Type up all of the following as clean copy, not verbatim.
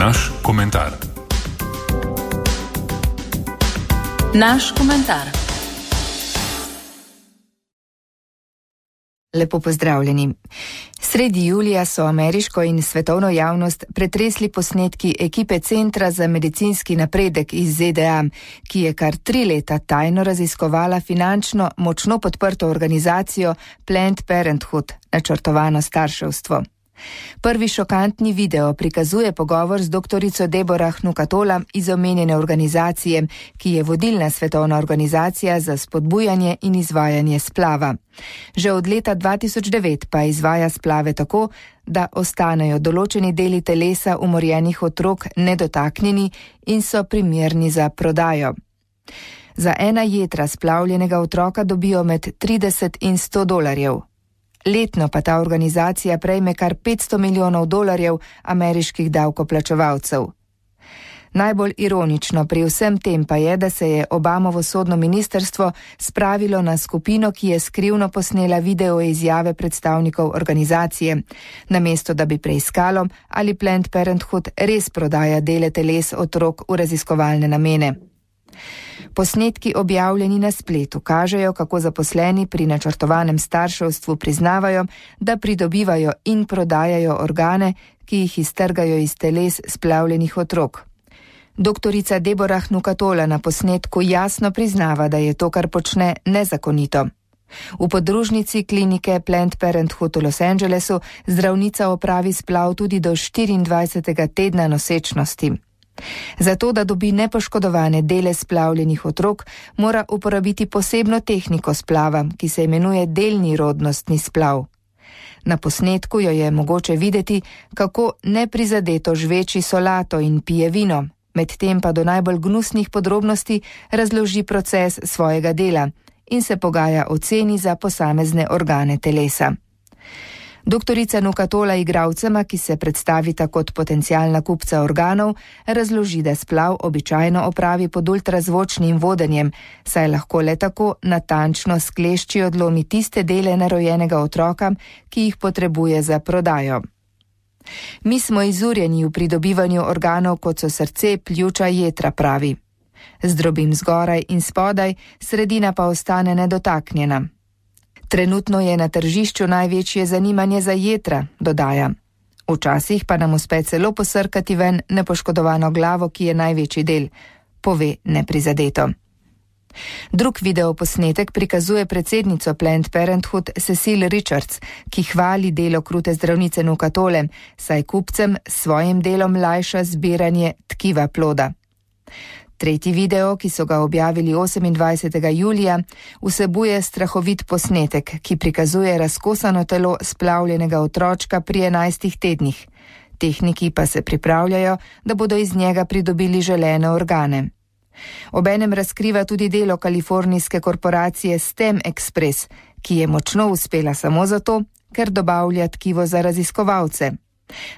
Naš komentar. Naš komentar. Lepo pozdravljeni. Sredi julija so ameriško in svetovno javnost pretresli posnetki ekipe Centra za medicinski napredek iz ZDA, ki je kar 3 leta tajno raziskovala finančno močno podprto organizacijo Planned Parenthood, načrtovano starševstvo. Prvi šokantni video prikazuje pogovor z doktorico Deborah Nucatola iz omenjene organizacije, ki je vodilna svetovna organizacija za spodbujanje in izvajanje splava. Že od leta 2009 pa izvaja splave tako, da ostanejo določeni deli telesa umorjenih otrok nedotaknjeni in so primerni za prodajo. Za ena jetra splavljenega otroka dobijo med 30 in $100. Letno pa ta organizacija prejme kar $500 milijonov ameriških davkoplačevalcev. Najbolj ironično pri vsem tem pa je, da se je Obamovo sodno ministrstvo spravilo na skupino, ki je skrivno posnela video izjave predstavnikov organizacije, namesto da bi preiskalo, ali Planned Parenthood res prodaja dele teles otrok v raziskovalne namene. Posnetki objavljeni na spletu kažejo, kako zaposleni pri načrtovanem starševstvu priznavajo, da pridobivajo in prodajajo organe, ki jih iztrgajo iz teles splavljenih otrok. Doktorica Deborah Nucatola na posnetku jasno priznava, da je to, kar počne, nezakonito. V podružnici klinike Planned Parenthood v Los Angelesu zdravnica opravi splav tudi do 24. tedna nosečnosti. Zato, da dobi nepoškodovane dele splavljenih otrok, mora uporabiti posebno tehniko splava, ki se imenuje delni rodnostni splav. Na posnetku jo je mogoče videti, kako neprizadeto žveči solato in pije vino, medtem pa do najbolj gnusnih podrobnosti razloži proces svojega dela in se pogaja o ceni za posamezne organe telesa. Doktorica Nucatola igralcema, ki se predstavita kot potencialna kupca organov, razloži, da splav običajno opravi pod ultrazvočnim vodenjem, saj lahko le tako natančno s klešči odlomi tiste dele nerojenega otroka, ki jih potrebuje za prodajo. Mi smo izurjeni v pridobivanju organov, kot so srce, pljuča, jetra, pravi. Zdrobim zgoraj in spodaj, sredina pa ostane nedotaknjena. Trenutno je na tržišču največje zanimanje za jetra, dodaja. Včasih pa nam uspe celo posrkati ven nepoškodovano glavo, ki je največji del, pove neprizadeto. Drug videoposnetek prikazuje predsednico Planned Parenthood Cecile Richards, ki hvali delo krute zdravnice Nucatole, saj kupcem s svojim delom lajša zbiranje tkiva ploda. Tretji video, ki so ga objavili 28. julija, vsebuje strahovit posnetek, ki prikazuje razkosano telo splavljenega otročka pri 11 tednih. Tehniki pa se pripravljajo, da bodo iz njega pridobili želene organe. Obenem razkriva tudi delo kalifornijske korporacije STEM Express, ki je močno uspela samo zato, ker dobavlja tkivo za raziskovalce.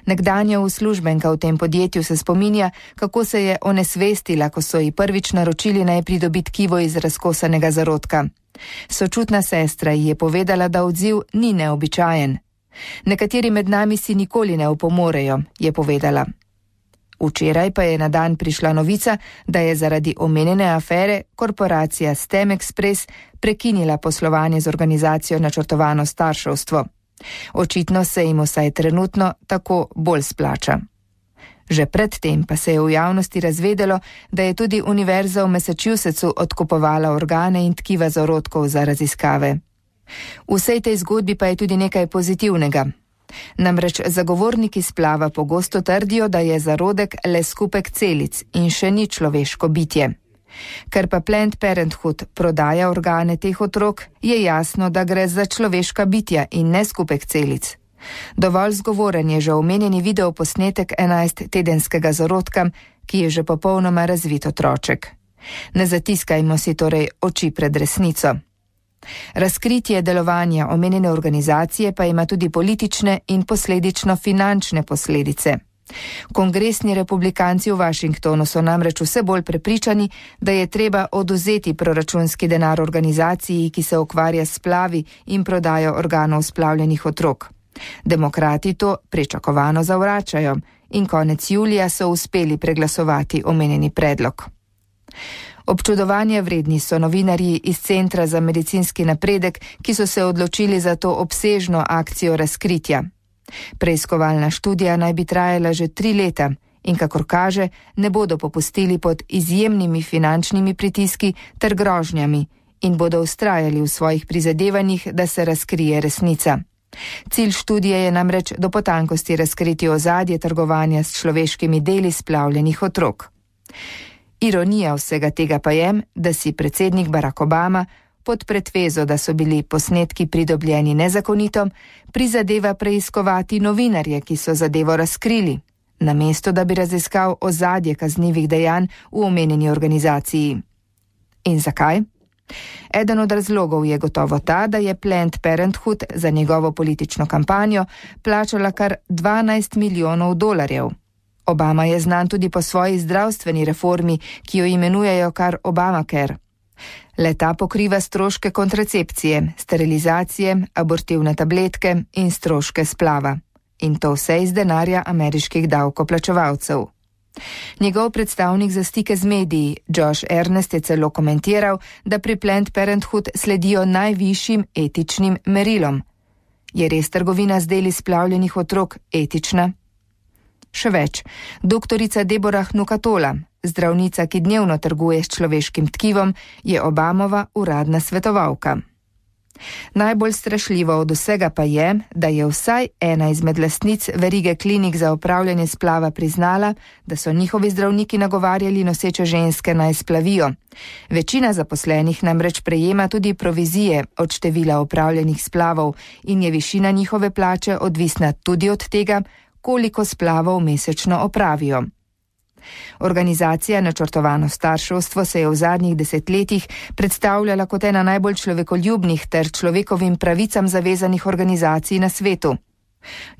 Nekdanja uslužbenka v tem podjetju se spominja, kako se je onesvestila, ko so ji prvič naročili naj pridobi tkivo iz razkosanega zarodka. Sočutna sestra ji je povedala, da odziv ni neobičajen. Nekateri med nami si nikoli ne opomorejo, je povedala. Včeraj pa je na dan prišla novica, da je zaradi omenjene afere korporacija STEM Express prekinila poslovanje z organizacijo načrtovano starševstvo. Očitno se jim vsaj trenutno tako bolj splača. Že predtem pa se je v javnosti razvedelo, da je tudi univerza v Massachusettsu odkupovala organe in tkiva zarodkov za raziskave. V vsej tej zgodbi pa je tudi nekaj pozitivnega. Namreč zagovorniki splava pogosto trdijo, da je zarodek le skupek celic in še ni človeško bitje. Ker pa Planned Parenthood prodaja organe teh otrok, je jasno, da gre za človeška bitja in ne skupek celic. Dovolj zgovoren je že omenjeni videoposnetek 11-tedenskega zarodka, ki je že popolnoma razvit otroček. Ne zatiskajmo si torej oči pred resnico. Razkritje delovanja omenjene organizacije pa ima tudi politične in posledično finančne posledice. Kongresni republikanci v Washingtonu so namreč vse bolj prepričani, da je treba odvzeti proračunski denar organizaciji, ki se ukvarja s splavi in prodajo organov splavljenih otrok. Demokrati to pričakovano zavračajo in konec julija so uspeli preglasovati omenjeni predlog. Občudovanja vredni so novinarji iz Centra za medicinski napredek, ki so se odločili za to obsežno akcijo razkritja. Preiskovalna študija naj bi trajala že 3 leta in kakor kaže, ne bodo popustili pod izjemnimi finančnimi pritiski ter grožnjami in bodo vztrajali v svojih prizadevanjih, da se razkrije resnica. Cilj študije je namreč do potankosti razkriti ozadje trgovanja s človeškimi deli splavljenih otrok. Ironija vsega tega pa je, da si predsednik Barack Obama pod pretvezo, da so bili posnetki pridobljeni nezakonito, prizadeva preiskovati novinarje, ki so zadevo razkrili, namesto da bi raziskal ozadje kaznivih dejanj v omenjeni organizaciji. In zakaj? Eden od razlogov je gotovo ta, da je Planned Parenthood za njegovo politično kampanjo plačala kar $12 milijonov. Obama je znan tudi po svoji zdravstveni reformi, ki jo imenujejo kar Obamacare. Le-ta pokriva stroške kontracepcije, sterilizacije, abortivne tabletke in stroške splava. In to vse iz denarja ameriških davkoplačevalcev. Njegov predstavnik za stike z mediji, Josh Earnest, je celo komentiral, da pri Planned Parenthood sledijo najvišjim etičnim merilom. Je res trgovina z deli splavljenih otrok etična? Še več, doktorica Deborah Nukatola, zdravnica, ki dnevno trguje s človeškim tkivom, je Obamova uradna svetovalka. Najbolj strašljivo od vsega pa je, da je vsaj ena izmed lastnic verige klinik za opravljanje splava priznala, da so njihovi zdravniki nagovarjali noseče ženske naj splavijo. Večina zaposlenih namreč prejema tudi provizije od števila opravljenih splavov in je višina njihove plače odvisna tudi od tega, koliko splavov mesečno opravijo. Organizacija Načrtovano starševstvo se je v zadnjih 10 letih predstavljala kot ena najbolj človekoljubnih ter človekovim pravicam zavezanih organizacij na svetu.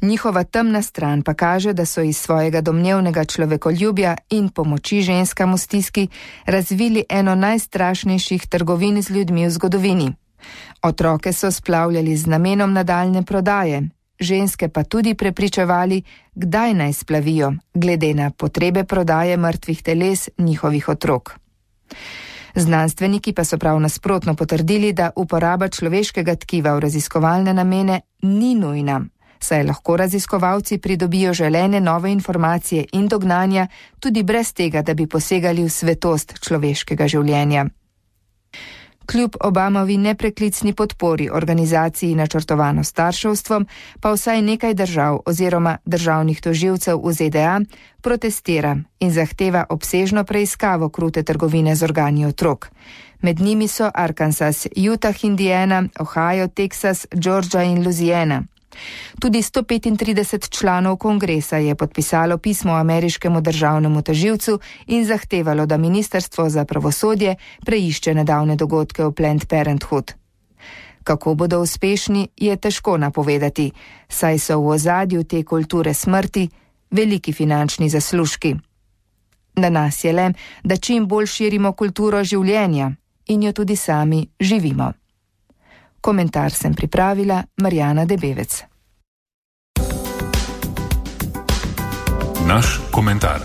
Njihova temna stran pa kaže, da so iz svojega domnevnega človekoljubja in pomoči ženskam v stiski razvili eno najstrašnejših trgovin z ljudmi v zgodovini. Otroke so splavljali z namenom nadaljne prodaje, ženske pa tudi prepričevali, kdaj naj splavijo, glede na potrebe prodaje mrtvih teles njihovih otrok. Znanstveniki pa so prav nasprotno potrdili, da uporaba človeškega tkiva v raziskovalne namene ni nujna, saj lahko raziskovalci pridobijo želene nove informacije in dognanja tudi brez tega, da bi posegali v svetost človeškega življenja. Kljub Obamovi nepreklicni podpori organizaciji Načrtovano starševstvo, pa vsaj nekaj držav oziroma državnih tožilcev v ZDA protestira in zahteva obsežno preiskavo krute trgovine z organi otrok. Med njimi so Arkansas, Utah, Indiana, Ohio, Texas, Georgia in Louisiana. Tudi 135 članov kongresa je podpisalo pismo ameriškemu državnemu tožilcu in zahtevalo, da Ministrstvo za pravosodje preišče nedavne dogodke v Planned Parenthood. Kako bodo uspešni, je težko napovedati, saj so v ozadju te kulture smrti veliki finančni zaslužki. Na nas je le, da čim bolj širimo kulturo življenja in jo tudi sami živimo. Komentar sem pripravila Marjana Debevec. Naš komentar.